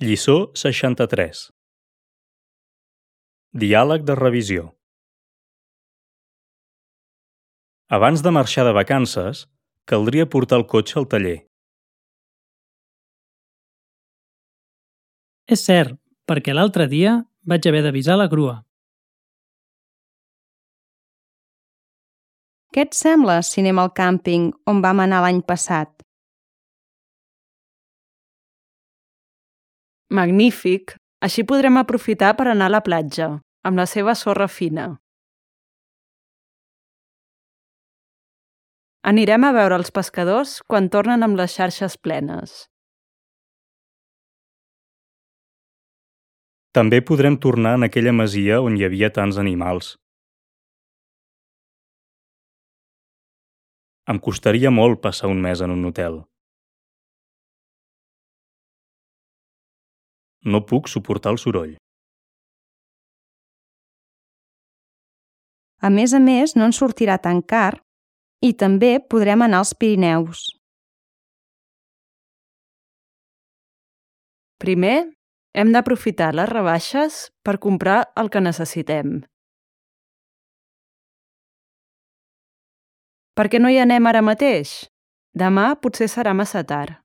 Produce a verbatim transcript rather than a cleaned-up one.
Lliçó seixanta-tres. Diàleg de revisió. Abans de marxar de vacances, caldria portar el cotxe al taller. És cert, perquè l'altre dia vaig haver d'avisar la grua. Què et sembla si anem al càmping on vam anar l'any passat? Magnífic! Així podrem aprofitar per anar a la platja, amb la seva sorra fina. Anirem a veure els pescadors quan tornen amb les xarxes plenes. També podrem tornar en aquella masia on hi havia tants animals. Em costaria molt passar un mes en un hotel. No puc suportar el soroll. A més a més, no ens sortirà tan car i també podrem anar als Pirineus. Primer, hem d'aprofitar les rebaixes per comprar el que necessitem. Per què no hi anem ara mateix? Demà potser serà massa tard.